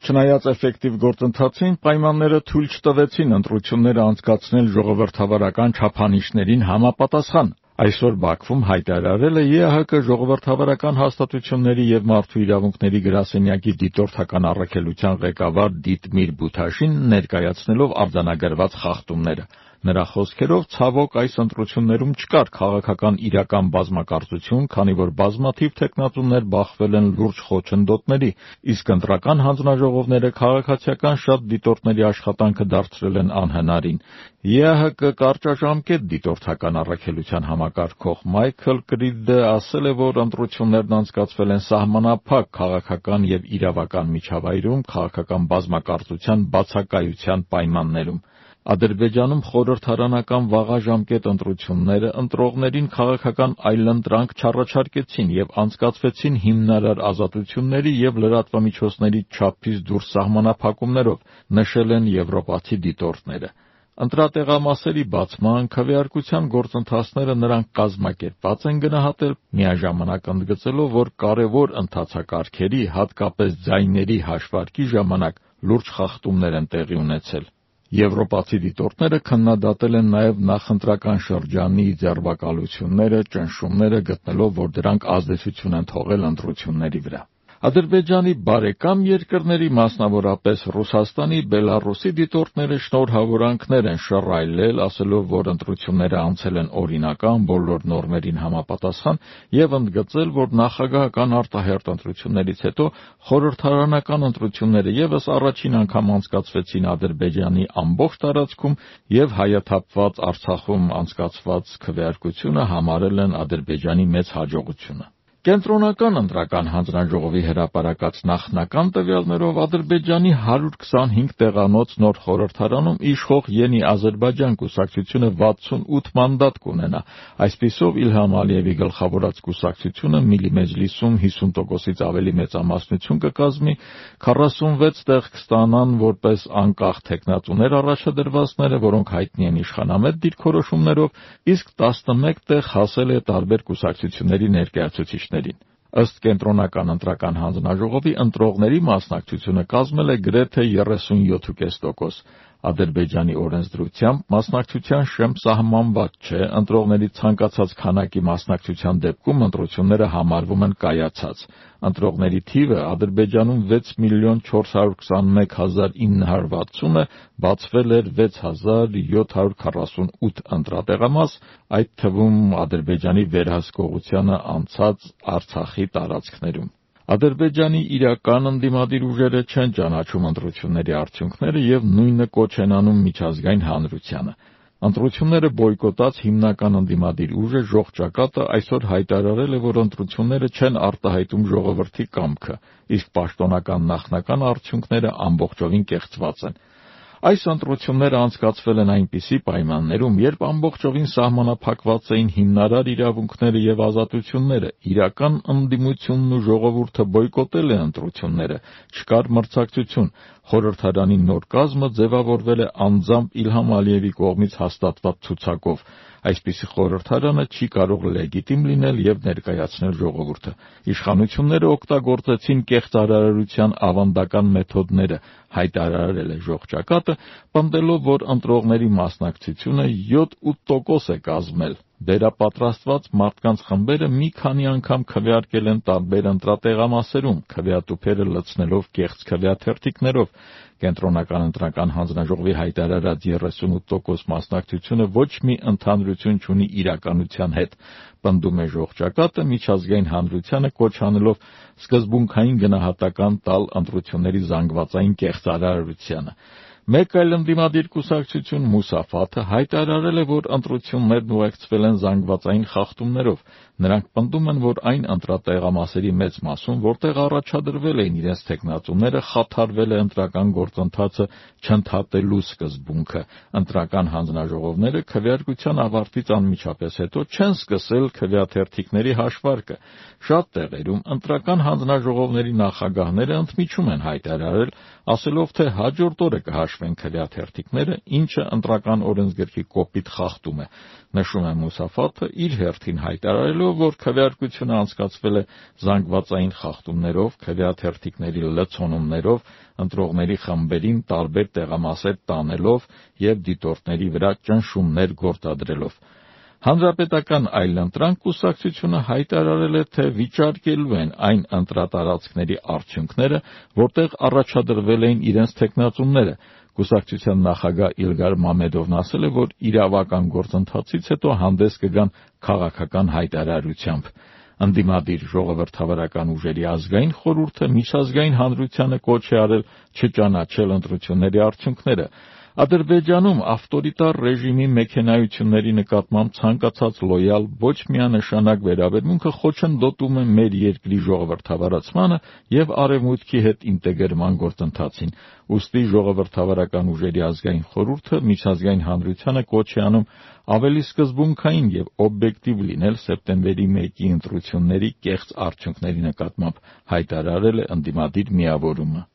Չնայած էֆեկտիվ գործընթացին, պայմանները թույլ չտվեցին ընտրությունները անցկացնել ժողովրդավարական չափանիշներին համապատասխան։ Այսօր Բաքվում հայտարարել է ԵԱՀԿ ժողովրդավարական հաստատությունների և մարդու իրավունքների գրասենյակի դիտորդական առաքելության ղեկավար Դիտմիր Բութաշին ներկայացնելով արձանագրված խախտումները։ Նրա խոսքերով, ցավոք, այս ընտրություններում չկար քաղաքական իրական բազմակարծություն, քանի որ բազմաթիվ թեկնածուներ բախվել են լուրջ խոչընդոտների, իսկ ընտրական հանձնաժողովները քաղաքացիական շատ դիտորդների աշխատանքը դարձրել են անհնարին։ ԵԱՀԿ կարճաժամկետ դիտորդական առաքելության համակարգող Մայքլ Կրիդը ասել է, որ ընտրություններն անցկացվել են սահմանափակ քաղաքական և իրավական միջավայրում, քաղաքական բազմակարծության բացակայության պայմաններում։ Ադրբեջանում խորհրդարանական վաղաժամկետ ընտրությունները ընտրողներին քաղաքական այլընտրանք չառաջարկեցին և անցկացվեցին հիմնարար ազատությունների և լրատվամիջոցների չափից դուրս սահմանափակումներով, նշել են եվրոպացի դիտորդները։ Ընտրատեղամասերի բացման, քվեարկության գործընթացները նրանք կազմակերպված են գնահատել, միաժամանակ ընդգծելով, որ կարևոր ընթացակարգերի, հատկապես ձայների հաշվարկի ժամանակ լուրջ խախտումներ են տեղի ունեցել։ Եվրոպացի դիտորդները քննադատել են նաև նախընտրական շրջանի ձերբակալությունները, ճնշումները, գտնելով, որ դրանք ազդեցություն են թողել ընտրությունների վրա։ Ադրբեջանի բարեկամ երկրների, մասնավորապես Ռուսաստանի, Բելառուսի դիտորդները շնորհավորանքներ են շռայլել, ասելով, որ ընտրությունները անցել են օրինական, բոլոր նորմերին համապատասխան և ընդգծել, որ նախագահական արտահերթ ընտրություններից հետո խորհրդարանական ընտրությունները ևս առաջին անգամ անցկացվեցին Ադրբեջանի ամբողջ տարածքում և հայաթափված Արցախում անցկացված քվեարկությունը համարել են Ադրբեջանի մեծ հաջողությունը։ Կենտրոնական ընտրական հանձնաժողովի հրապարակած նախնական տվյալներով Ադրբեջանի 125 տեղանոց նոր խորհրդարանում իշխող Յենի Ադրբեջան կուսակցությունը 68 մանդատ կունենա։ Այսպիսով Իլհամ Ալիևի գլխավորած կուսակցությունը Միլի Մեջլիսում 50%-ից ավելի մեծամասնություն կկազմի, 46 տեղ կստանան որպես անկախ թեկնածուներ առաջադրվածները, որոնք հայտնի են իշխանամետ դիրքորոշումներով, իսկ 11 տեղ հասել է տարբեր կուսակցությունների ներկայացուցիչներին։ Ըստ Կենտրոնական ընտրական հանձնաժողովի ընտրողների մասնակցությունը կազմել է գրեթե 37.5%։ Ադրբեջանի օրենսդրությամբ մասնակցության շեմբ սահմանված չէ, ընտրողների ցանկացած քանակի մասնակցության դեպքում ընտրությունները համարվում են կայացած։ Ընտրողների թիվը Ադրբեջանում 6,421,960-ը, բացվել էր 6,748 ընտրատեղամաս, այդ թվում Ադրբեջանի վերահսկողությանը անցած Արցախի տարածքներում։ Ադրբեջանի իրական ընդդիմադիր ուժերը չեն ճանաչում ընտրությունների արդյունքները և նույնը կոչ են անում միջազգային հանրությանը։ Ընտրությունները բոյկոտած հիմնական ընդդիմադիր ուժը «Ժող ճակատը» այսօր հայտարարել է, որ ընտրությունները չեն արտահայտում ժողովրդի կամքը, իսկ պաշտոնական նախնական արդյունքները ամբողջովին կեղծված են։ Այս ընտրությունները անցկացվել են այնպիսի պայմաններում, երբ ամբողջովին սահմանափակված էին հիմնարար իրավունքները և ազատությունները, իրական ընդդիմությունն ու ժողովուրդը բոյկոտել է ընտրությունները, չկար մրցակցություն, խորհրդարանի նոր կազմը ձևավորվել է անձամբ Իլհամ Ալիևի կողմից հաստատված ցուցակով։ Այսպիսի խորհրդարանը չի կարող լեգիտիմ լինել և ներկայացնել ժողովուրդը։ Իշխանությունները օգտագործեցին կեղծարարության ավանդական մեթոդները, հայտարարել է «Ժող ճակատը», պնդելով, որ ընտրողների մասնակցությունը 7-8% է կազմել։ Վերապատրաստված մարդկանց խմբերը մի քանի անգամ քվեարկել են տարբեր ընտրատեղամասերում, քվեատուփերը լցնելով կեղծ քվեաթերթիկներով։ Կենտրոնական ընտրական հանձնաժողովի հայտարարած 38% մասնակցությունը ոչ մի ընդհանրություն չունի իրականության հետ, պնդում է «Ժող ճակատը», միջազգային հանրությանը կոչ անելով սկզբունքային գնահատական տալ ընտրությունների զանգվածային կեղծարարությանը։ Մեկ այլ ընդդիմադիր կուսակցություն Մուսաֆաթը հայտարարել է, որ ընտրություններն ուղեկցվել են զանգվածային խախտումներով։ Նրանք պնդում են, որ այն ընտրատեղամասերի մեծ մասում, որտեղ առաջադրվել էին իրենց թեկնածուները, խաթարվել է ընտրական գործընթացը չընդհատելու սկզբունքը։ Ընտրական հանձնաժողովները քվեարկության ավարտից անմիջապես հետո չեն սկսել քվեաթերթիկների հաշվարկը։ Շատ տեղերում ընտրական հանձնաժողովների նախագահները ընդմիջում են հայտարարել, ասելով, թե հաջորդ օրը կհաշվի կոչվեն քվեաթերթիկները, ինչը ընտրական օրենսգրքի կոպիտ խախտում է, նշում է Մուսաֆաթը, իր հերթին հայտարարելով, որ քվեարկությունը անցկացվել է զանգվածային խախտումներով, քվեաթերթիկների լցոնումներով, ընտրողների խմբերին տարբեր տեղամասեր տանելով և դիտորդների վրա ճնշումներ գործադրելով։ Հանրապետական այլընտրանք կուսակցությունը հայտարարել է, թե վիճարկելու են այն ընտրատարածքների արդյունքները, որտեղ առաջադրվել էին իրենց թեկնածուները։ Կուսակցության նախագահ Իլգար Մամեդովն ասել է, որ իրավական գործընթացից հետո հանդես կգան քաղաքական հայտարարությամբ։ Ընդդիմադիր ժողովրդավարական ուժերի ազգային խորհուրդը միջազգային հանրությանը կոչ է արել չճանաչել ընտրությունների արդյունքները։ Ադրբեջանում ավտորիտար ռեժիմի մեքենայությունների նկատմամբ ցանկացած լոյալ ոչ միանշանակ վերաբերմունքը խոչընդոտում է մեր երկրի ժողովրդավարացմանը և Արևմուտքի հետ ինտեգրման գործընթացին։ Ուստի ժողովրդավարական ուժերի ազգային խորհուրդը միջազգային հանրությանը կոչ է անում ավելի սկզբունքային և օբյեկտիվ լինել սեպտեմբերի 1-ի ընտրությունների կեղծ արդյունքների նկատմամբ, հայտարարել է ընդդիմադիր միավորումը։